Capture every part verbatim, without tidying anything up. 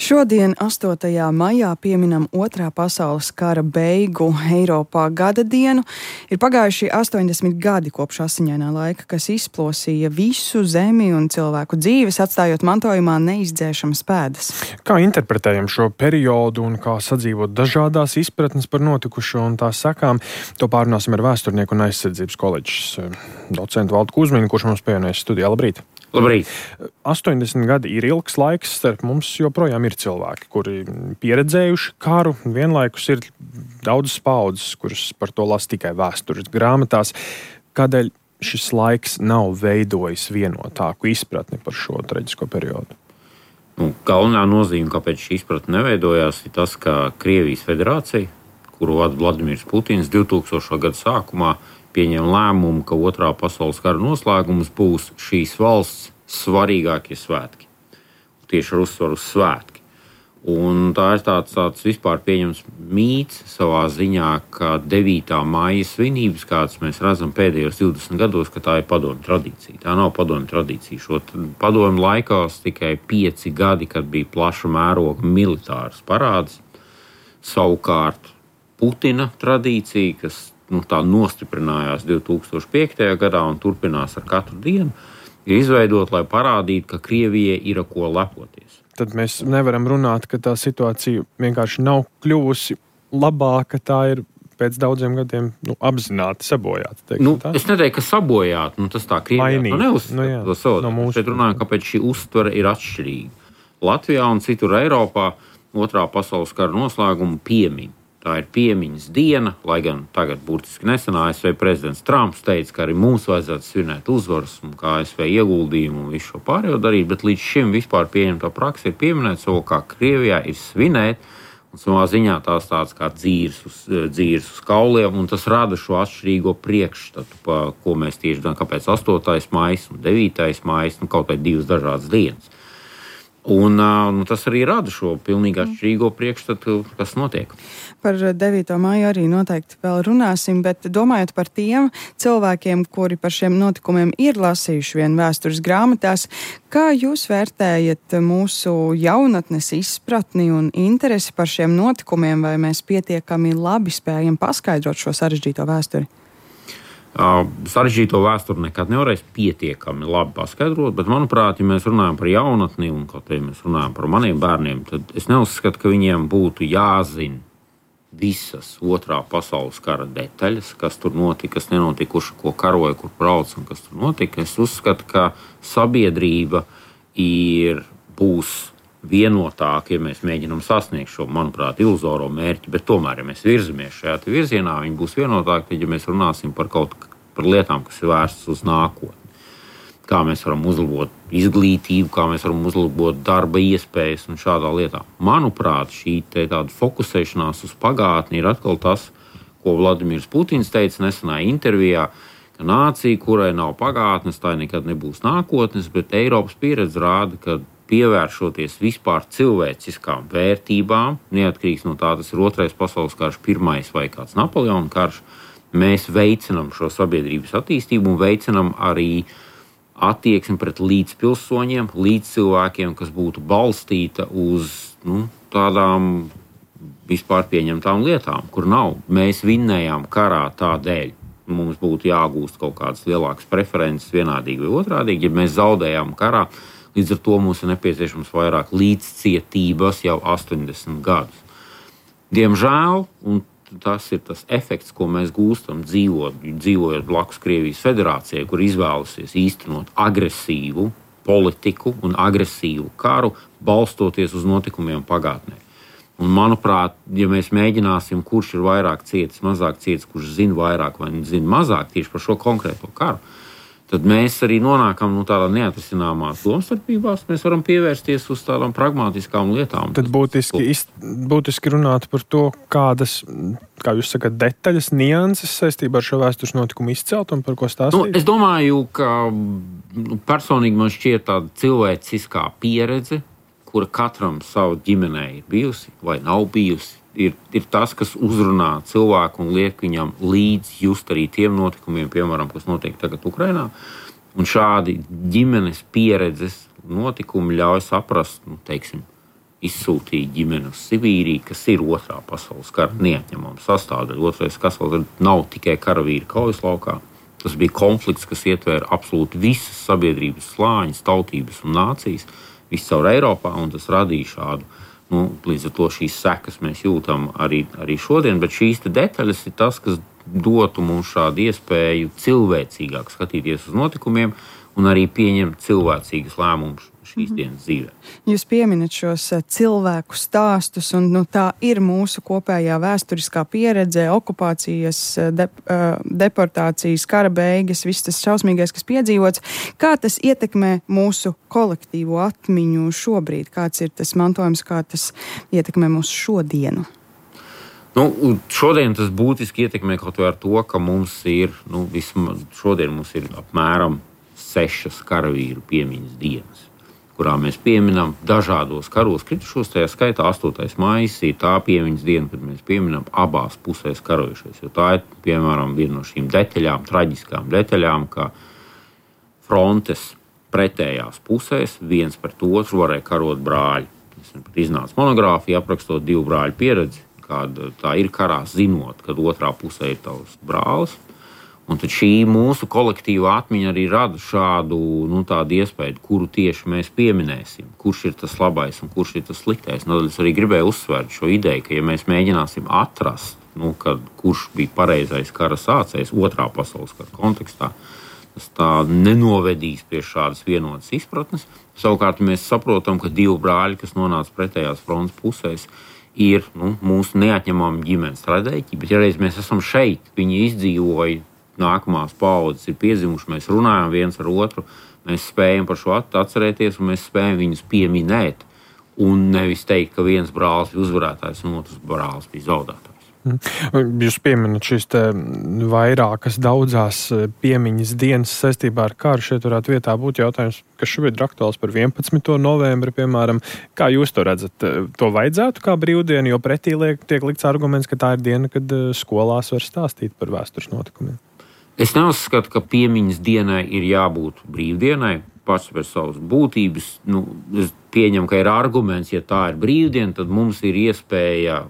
Šodien, astotajā maijā, pieminam Otrā pasaules kara beigu Eiropā gada dienu. Ir pagājuši astoņdesmit gadi kopš asiņainā laika, kas izplosīja visu zemi un cilvēku dzīves, atstājot mantojumā neizdzēšamas pēdas. Kā interpretējam šo periodu un kā sadzīvot dažādās izpratnes par notikušo un tās sekām, to pārunāsim ar vēsturnieku un aizsardzības koledžas docentu Valdu Kuzminu, kurš mums pievienojas studijā. Labrīt! Labrīt! astoņdesmit gadi ir ilgs laiks, starp mums joprojām ir cilvēki, kuri pieredzējuši karu, vienlaikus ir daudzas paudzes, kuras par to lasa tikai vēstures grāmatās. Kādēļ šis laiks nav veidojis vienotāku izpratni par šo traģisko periodu? Nu, galvenā nozīme, kāpēc šī izpratne neveidojās, ir tas, ka Krievijas federācija, kuru vada Vladimirs Putins divtūkstošā gada sākumā, pieņem lēmumu, ka Otrā pasaules kara noslēgums būs šīs valsts svarīgākie svētki. Tieši ar uzsvaru uz svētki. Un tā ir tāds, tāds vispār pieņems mīts savā ziņā, ka devītā maija svinības, kādas mēs redzam pēdējos divdesmit gados, ka tā ir padomju tradīcija. Tā nav padomju tradīcija. Šo padomju laikās tikai pieci gadi, kad bija plaša mēroga militāras parāds. Savukārt Putina tradīcija, kas nu, tā nostiprinājās divtūkstoš piektajā gadā un turpinās ar katru dienu, ir izveidot, lai parādītu, ka Krievijai ir ar ko lepoties. Tad mēs nevaram runāt, ka tā situācija vienkārši nav kļuvusi labāka, tā ir pēc daudziem gadiem nu, apzināti sabojāta. Nu, es neteiktu, ka sabojāta, nu, tas tā Krievijā nu, neuzskata to savu. No mūsu... Šeit runājam, kāpēc šī uztvere ir atšķirīga. Latvijā un citur Eiropā Otrā pasaules kara noslēgumu piemin. Tā ir piemiņas diena, lai gan tagad burtiski nesen A S V prezidents Trumps teica, ka arī mums vajadzētu svinēt uzvaras un kā A S V ieguldījumu un visu šo pārējo darīt, bet līdz šim vispār pieņemtā praksa ir pieminēt savu, kā Krievijā ir svinēt, un savā ziņā tās tāds kā dzīrs uz, dzīrs uz kauliem, un tas rada šo atšķirīgo priekšstatu, pa ko mēs tieši gan kāpēc astotais maijs un devītais maijs, nu kaut vai divas dažādas dienas. Un nu, tas arī rada šo pilnīgi atšķirīgo priekšstatu, kas notiek. Par devīto maiju arī noteikti vēl runāsim, bet domājot par tiem cilvēkiem, kuri par šiem notikumiem ir lasījuši vien vēstures grāmatās, kā jūs vērtējat mūsu jaunatnes izpratni un interesi par šiem notikumiem, vai mēs pietiekami labi spējam paskaidrot šo sarežģīto vēsturi? Uh, sarežģīto vēsturi nekad nevarēs pietiekami labi paskaidrot, bet, manuprāt, ja mēs runājam par jaunatni un kaut kā mēs runājam par maniem bērniem, tad es neuzskatu, ka viņiem būtu jāzina visas Otrā pasaules kara detaļas, kas tur notika, kas nenotika, kurš ko karoja, kur brauc un kas tur notika. Es uzskatu, ka sabiedrība ir, būs vienotāka, ja mēs mēģinām sasniegt šo, manuprāt, iluzoro mērķi, bet tomēr, ja mēs virzamies šajā virzienā, viņi būs vienotāki, tad, ja mēs runāsim par kaut par lietām, kas ir vērstas uz nākotni. Kā mēs varam uzlabot izglītību, kā mēs varam uzlabot darba iespējas un šādā lietā. Manuprāt, šī te tāda fokusēšanās uz pagātni ir atkal tas, ko Vladimirs Putins teica nesenā intervijā, ka nācija, kurai nav pagātnes, tā nekad nebūs nākotnes, bet Eiropas pieredze rāda, ka pievēršoties vispār cilvēciskām vērtībām, neatkarīgs no tā, tas ir Otrais pasaules karš, pirmais vai kāds Napoleona karš, mēs veicinam šo sabiedrības attīstību un veicinam arī attieksmi pret līdzpilsoņiem, līdzcilvēkiem, kas būtu balstīta uz nu, tādām vispār pieņemtām lietām, kur nav. Mēs vinnējām karā tādēļ. Mums būtu jāgūst kaut kādas lielākas preferences vienādīgi vai otrādīgi, ja mēs zaudējām karā. Līdz ar to mums ir nepieciešams vairāk līdzcietības jau astoņdesmit gadus. Diemžēl, un tas ir tas efekts, ko mēs gūstam dzīvot, dzīvojot blakus Krievijas federācijai, kur izvēlusies īstenot agresīvu politiku un agresīvu karu, balstoties uz notikumiem pagātnē. Un, manuprāt, ja mēs mēģināsim, kurš ir vairāk cietis, mazāk cietis, kurš zina vairāk vai zina mazāk tieši par šo konkrēto karu, tad mēs arī nonākam nu, tādā neatrisināmās domstarpībās. Mēs varam pievērsties uz tādām pragmatiskām lietām. Tad būtiski, būtiski runāt par to, kādas, kā jūs sakat, detaļas, nianses saistībā ar šo vēstures notikumu izcelt un par ko stāstīt? Nu, es domāju, ka nu, personīgi man šķiet tāda cilvēciskā pieredze, kura katram savu ģimenē ir bijusi vai nav bijusi. Ir, ir tas, kas uzrunā cilvēku un liek viņam līdz just arī tiem notikumiem, piemēram, kas notiek tagad Ukrainā. Un šādi ģimenes pieredzes notikumi ļauj saprast, nu, teiksim, izsūtīja ģimeni uz Sibīriju, kas ir otrā pasaules kara neatņemama sastāvdaļa. Otrais pasaules kara nav tikai karavīri kaujas laukā. Tas bija konflikts, kas ietvēra absolūti visas sabiedrības slāņas, tautības un nācijas, viscaur Eiropā, un tas radīja šādu, nu, līdz ar to šīs sekas mēs jūtam arī, arī šodien, bet šīs te detaļas ir tas, kas dotu mums šādu iespēju cilvēcīgāk skatīties uz notikumiem un arī pieņemt cilvēcīgas lēmumus šīs dienas dzīvē. Jūs pieminat šos cilvēku stāstus, un nu, tā ir mūsu kopējā vēsturiskā pieredze, okupācijas, de, deportācijas, kara beigas, viss tas šausmīgais, kas piedzīvots. Kā tas ietekmē mūsu kolektīvo atmiņu šobrīd? Kāds ir tas mantojums, kā tas ietekmē mūsu šodienu? Nu, šodien tas būtiski ietekmē kaut vai ar to, ka mums ir, nu, vismaz šodien mums ir apmēram sešas karavīru piemiņas dienas, kurā mēs pieminam dažādos karos kritušos, tajā skaitā astotais maijs ir tā piemiņas diena, kad mēs pieminam abās pusēs karojušies, jo tā ir, piemēram, viena no šīm detaļām, traģiskām detaļām, ka frontes pretējās pusēs viens pret otru varēja karot brāļi. Es pat iznācu monogrāfiju, aprakstot divu brāļu pieredzi, kāda tā ir karā, zinot, kad otrā pusē ir tavs brālis. Un tad šī mūsu kolektīvā atmiņa arī rada šādu, nu, tādu iespēju, kuru tieši mēs pieminēsim, kurš ir tas labais un kurš ir tas sliktais. Nu, es arī gribēju uzsvērt šo ideju, ka ja mēs mēģināsim atrast, nu, kad, kurš bija pareizais kara sācējs otrā pasaules kara kontekstā, tas tā nenovedīs pie šādas vienotas izpratnes. Savukārt mēs saprotam, ka divi brāļi, kas nonāca pretējās frontes pusēs, ir, nu, mūsu neatņemama ģimenes traģēdija, bet ja reiz mēs esam šeit, viņi izdzīvoja, nākamās paaudzes ir piedzimuši, mēs runājam viens ar otru, mēs spējam par šo atcerēties un mēs spējam viņus pieminēt un nevis teikt, ka viens brālis ir uzvarētājs un otrs brālis bija zaudētājs. Jūs pieminat šīs te vairākas daudzās piemiņas dienas saistībā ar karu. Šeit varētu vietā būt jautājums, kas šobrīd ir aktuāls par vienpadsmito novembri, piemēram. Kā jūs to redzat? To vajadzētu kā brīvdienu, jo pretī liek, tiek likts arguments, ka tā ir diena, kad skolās var stāstīt par vēstures notikumiem. Es neuzskatu, ka piemiņas dienai ir jābūt brīvdienai, pats pēc savas būtības. Nu, es pieņemu, ka ir arguments, ja tā ir brīvdiena, tad mums ir iespēja,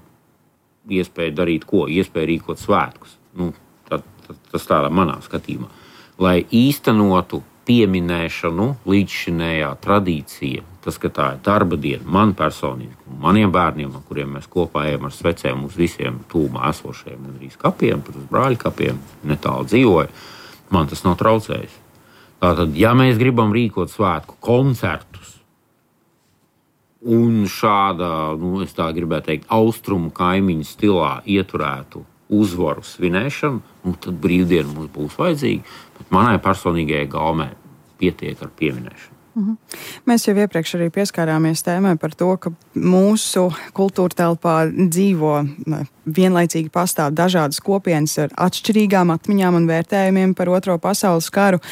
iespēja darīt ko? Iespēja rīkot svētkus. Nu, tad, tad, tas tādā manā skatījumā. Lai īstenotu pieminēšanu, līdzšinējā tradīcija, tas, ka tā ir darba diena, man personīgi, maniem bērniem, ar kuriem mēs kopā ejam ar svecēm uz visiem tūmā esošajiem gandrīz kapiem, pat uz brāļu kapiem, netālu dzīvoju, man tas nav traucējis. Tātad, ja mēs gribam rīkot svētku koncertus un šādā, nu, es tā gribētu teikt, austrumu kaimiņu stilā ieturētu uzvaru svinēšanu, nu, tad brīvdiena mums būs vajadzīga, bet manai personīgajai gaumē pietiek ar pieminēšanu. Mhm. Mēs jau iepriekš arī pieskārāmies tēmai par to, ka mūsu kultūra telpā dzīvo vienlaicīgi pastāv dažādas kopienas ar atšķirīgām atmiņām un vērtējumiem par Otro pasaules karu.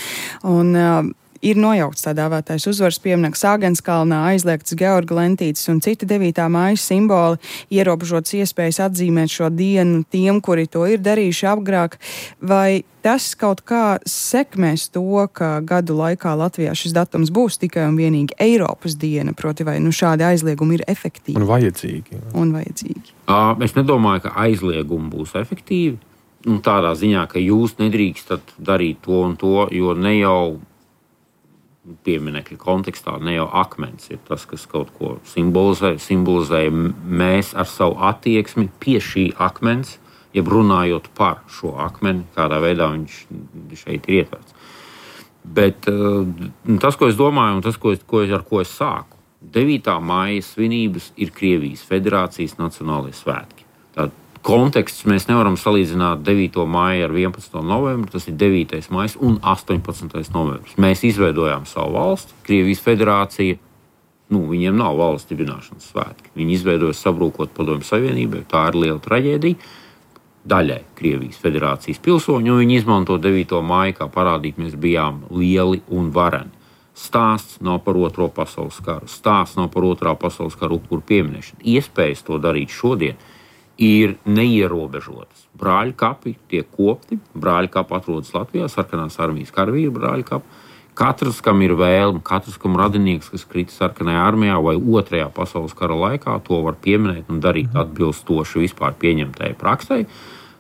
Un, uh, Ir nojaukts tā dēvētais uzvaras piemineklis Āgenskalnā, aizliegts Georga lentītes un citi devītā māja simboli, ierobežotas iespējas atzīmēt šo dienu tiem, kuri to ir darījuši agrāk. Vai tas kaut kā sekmēs to, ka gadu laikā Latvijā šis datums būs tikai un vienīgi Eiropas diena, proti vai nu šādi aizliegumi ir efektīvi? Un vajadzīgi. Un vajadzīgi. Es nedomāju, ka aizliegumi būs efektīvi. Nu, tādā ziņā, ka jūs nedrīkstat darīt to un to, jo ne jau pieminekļa kontekstā, ne jau akmens ir tas, kas kaut ko simbolizē, simbolizē mēs ar savu attieksmi pie šī akmens, jeb runājot par šo akmeni, kādā veidā viņš šeit ir ietverts. Bet tas, ko es domāju, un tas, ko es, ko es, ar ko es sāku, devītā māja svinības ir Krievijas Federācijas nacionālie svētki. Tātad konteksts mēs nevaram salīdzināt devīto māju ar vienpadsmito novembri, tas ir devītais maijs un astoņpadsmitais novembris. Mēs izveidojām savu valsti, Krievijas Federācija, nu, viņiem nav valsts dibināšanas svētki. Viņi izveidoja sabrūkot Padomju Savienībai, tā ir liela traģēdija, daļai Krievijas Federācijas pilsoņu, un viņi izmanto devīto māju, kā parādīt, mēs bijām lieli un vareni. Stāsts nav par Otro pasaules karu, stāsts nav par Otrā pasaules karu upuru pieminēšanu. Iespējas to darīt šodien ir neierobežotas. Brāļu kapi tiek kopti, brāļu kapi atrodas Latvijā, sarkanās armijas karavīru brāļu kapi, Katrs, kam ir vēlme, katrs, kam radinieks, kas krita sarkanajā armijā vai otrajā pasaules kara laikā, to var pieminēt un darīt atbilstoši vispār pieņemtajai praksei.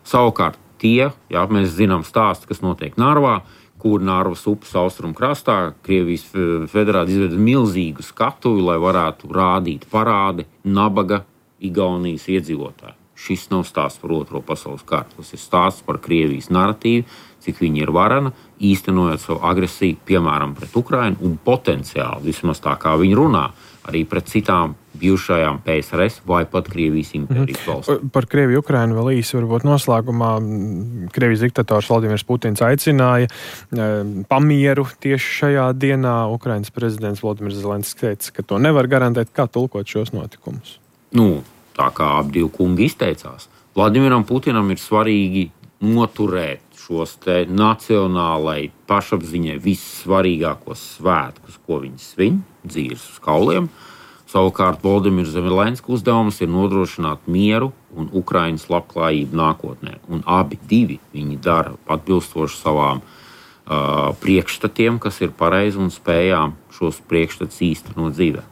Savukārt tie, jā, mēs zinām stāstu, kas notiek Narvā, kur Narvas upes austrumu krastā Krievijas federācija izveda milzīgu skatuvi, lai varētu rādīt parādi nabaga Igaunijas iedzīvotāji. Šis nav stāsts par otro pasaules karu. Tas ir stāsts par Krievijas naratīvu, cik viņa ir varena, īstenojot savu agresiju, piemēram, pret Ukrainu un potenciāli, vismaz tā kā viņi runā, arī pret citām bijušajām P S R S vai pat Krievijas impērijas valstīm. Par Krieviju Ukrainu vēl īsi varbūt noslēgumā. Krievijas diktators Vladimirs Putins aicināja pamieru tieši šajā dienā. Ukrainas prezidents Volodimirs Zelenskis teica, ka to nevar garantēt. Kā tulkot šos notikumus? Nu, tā kā ap divi kungi izteicās. Vladimiram Putinam ir svarīgi noturēt šos te nacionālai pašapziņai vissvarīgākos svētkus, ko viņi svin, dzīves uz kauliem. Savukārt Volodimirs Zelenskis uzdevums ir nodrošināt mieru un Ukrainas labklājību nākotnē. Un abi divi viņi dara atbilstoši savām uh, priekšstatiem, kas ir pareizi un spējām šos priekšstats īstenot dzīvē.